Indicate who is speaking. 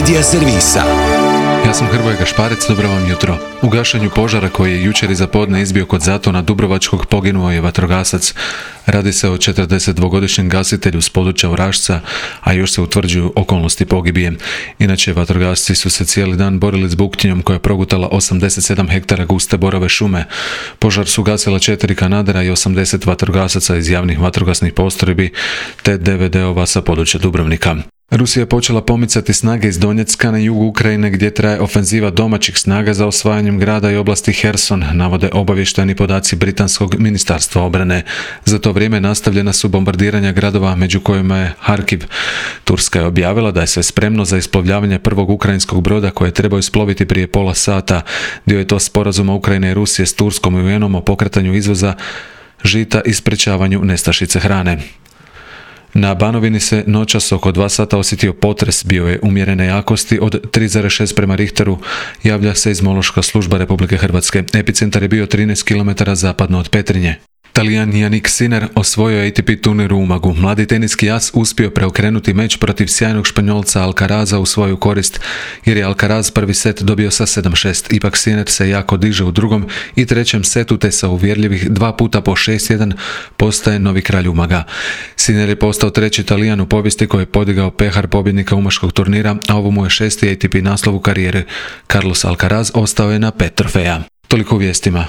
Speaker 1: Medija servisa.
Speaker 2: Ja sam Hrvoje Gašparec, dobro vam jutro. U gašenju požara koji je jučer iza podne izbio kod Zatona Dubrovačkog poginuo je vatrogasac. Radi se o 42-godišnjem gasitelju s područja Orašca, a još se utvrđuju okolnosti pogibije. Inače, vatrogasci su se cijeli dan borili s buktinjom koja je progutala 87 hektara guste borove šume. Požar su gasila 4 kanadera i 80 vatrogasaca iz javnih vatrogasnih postrojbi te DVD-ova sa područja Dubrovnika. Rusija je počela pomicati snage iz Donjecka na jugu Ukrajine gdje traje ofenziva domaćih snaga za osvajanjem grada i oblasti Herson, navode obavještajni podaci Britanskog ministarstva obrane. Za to vrijeme nastavljena su bombardiranja gradova među kojima je Harkiv. Turska je objavila da je sve spremno za isplovljavanje prvog ukrajinskog broda koje je trebao isploviti prije pola sata. Dio je to sporazuma Ukrajine i Rusije s Turskom i UN-om o pokretanju izvoza žita i sprečavanju nestašice hrane. Na Banovini se noćas oko 2 sata osjetio potres, bio je umjerene jakosti od 3,6 prema Richteru, javlja Seizmološka služba Republike Hrvatske. Epicentar je bio 13 km zapadno od Petrinje. Talijan Jannik Sinner osvojio je ATP turnir u Umagu. Mladi teniski as uspio preokrenuti meč protiv sjajnog Španjolca Alcaraza u svoju korist, jer je Alcaraz prvi set dobio sa 7-6. Ipak Sinner se jako diže u drugom i trećem setu te sa uvjerljivih 2 puta po 6-1 postaje novi kralj Umaga. Sinner je postao treći Talijan u povijesti koji je podigao pehar pobjednika umaškog turnira, a ovo mu je 6. ATP naslov u karijeri. Carlos Alcaraz ostao je na 5 trofeja. Toliko u vijestima.